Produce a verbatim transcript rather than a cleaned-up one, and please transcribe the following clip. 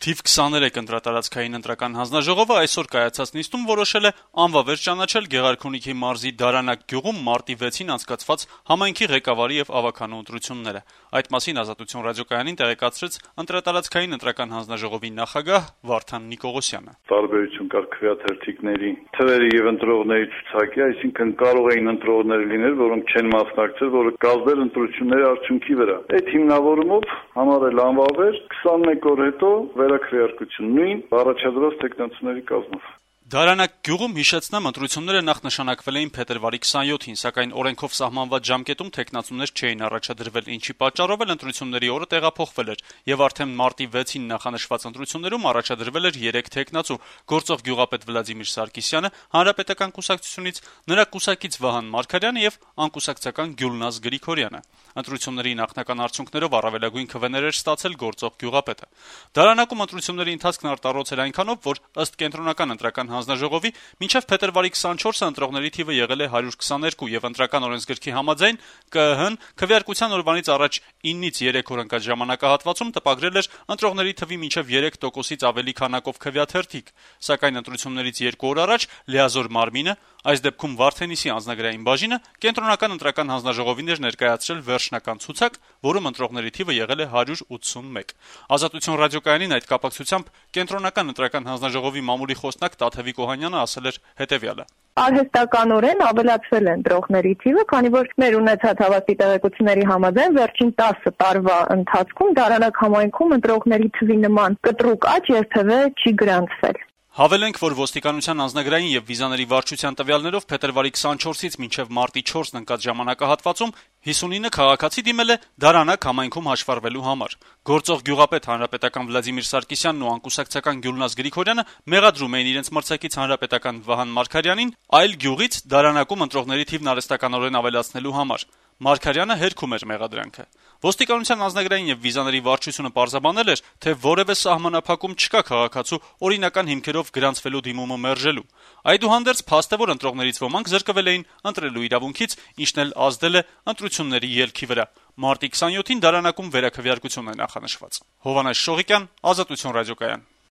Թիվ քսաներեք ընտրատարածքային ընտրական հանձնաժողովը այսօր կայացած նիստում որոշել է անվավեր ճանաչել Գեղարքունիքի մարզի Դարանակ գյուղում մարտի վեցին անցկացված համայնքի ղեկավարի եւ ավականու ընտրությունները։ Այդ մասին Ազատություն ռադիոկայանին տեղեկացրեց ընտրատարածքային ընտրական հանձնաժողովի նախագահ Վարդան Նիկողոսյանը։ Տարբերություն կար քվեաթերթիկների թվերի եւ ընտրողների ցուցակի, այսինքն կարող էին ընտրողներ լինել, որոնք չեն մասնակցել, որը կազմել ընտրությունների արդյունքի վրա։ Այդ հիմնավորումով համարել անվավեր քսանմեկ օր հետո վերաքվեարկություն նույն առաջադրված տեխնացուների կազմով։ Դարանակ գյուղում հիշեցնեմ ընտրությունները նախ նշանակվել էին փետրվարի քսանյոթին, սակայն օրենքով սահմանված ժամկետում տեխնացուներ չէին առաջադրվել, ինչի պատճառով էլ ընտրությունների օրը տեղափոխվել էր եւ արդեն մարտի վեցին նախանշված ընտրություններում առաջադրվել էր երեք տեխնացու՝ գործող գյուղապետ Վլադիմիր Սարգսյանը Հանրապետական կուսակցությունից, նրա կուսակից Վահան Մարգարյանը եւ անկուսակցական Գյուլնազ Գրիգորյանը։ Ընտրությունների նախնական արդյունքներով առավելագույն քվեներ էր ստացել գործող գյուղապետը։ Դարանակում ընտրությունների ընթացքն արտառոց էր այնքանով, որ ըստ կենտրոնական ընտրական հանձնաժողովի մինչև փետրվարի քսանչորսը ընտրողների թիվը եղել է հարյուր քսաներկու եւ ընտրական օրենսգրքի համաձայն ԿԸՀ-ն քվեարկության օրվանից առաջ ինից երեք օր ընկած ժամանակահատվածում տպագրել էր ընտրողների թվի մինչև երեք տոկոսից ավելի քանակով քվեաթերթիկ, սակայն ընտրություններից երկու օր առաջ լիազոր մարմինը, այս դեպքում Վարդենիսի անձնագրային բաժինը, կենտրոնական ընտրական հանձնաժողովին էր ներկայացրել վերջնական ցուցակ, որում ընտրողների թիվը եղել է հարյուր ութսունմեկ։ Ազատություն ռադիոկայանին այդ կապակցությամբ կենտրոնական ընտրական հանձնաժողովի մամուլի խոսնակ Տաթևիկ Օհանյանը ասել էր հետեւյալը. Արհեստականորեն ավելացվել է ընտրողների թիվը, քանի որ մեր ունեցած հավաստի տեղեկությունների համաձայն վերջին տասը տարվա ընթացքում Դարանակ համայնքում ընտրողների թվի նման կտրուկ աճ երբևէ չի գրանցվել։ Հավելենք, որ ոստիկանության անձնագրային եւ վիզաների վարչության տվյալներով փետրվարի քսանչորսից մինչեւ մարտի չորսն ընկած ժամանակահատվածում հիսունինը քաղաքացի դիմել է Դարանակ համայնքում հաշվառվելու համար։ Գործող գյուղապետ հանրապետական Վլադիմիր Սարգսյանն ու անկուսակցական Գյուլնազ Գրիգորյանը մեղադրում էին իրենց մրցակից հանրապետական Վահան Մարգարյանին այլ գյուղից Դարանակում ընտրողների թիվն արհեստականորեն ավելացնելու համար։ Մարգարյանը հերքում էր մեղադրանքը։ Ոստիկանության անձնագրային եւ վիզաների վարչությունը պարզաբանել էր, թե որևէ սահմանափակում չկա քաղաքացու օրինական հիմքերով գրանցվելու դիմումը մերժելու։ Այդուհանդերձ փաստ է, որ ընտրողներից ոմանք զրկվել էին ընտրելու իրավունքից, ինչն էլ ազդել է ընտրությունների ելքի վրա։ Մարտի քսանյոթին Դարանակում վերաքվեարկություն է նախանշված։ Հովհաննես Շողիկյան, Ազատություն ռադիոկայան։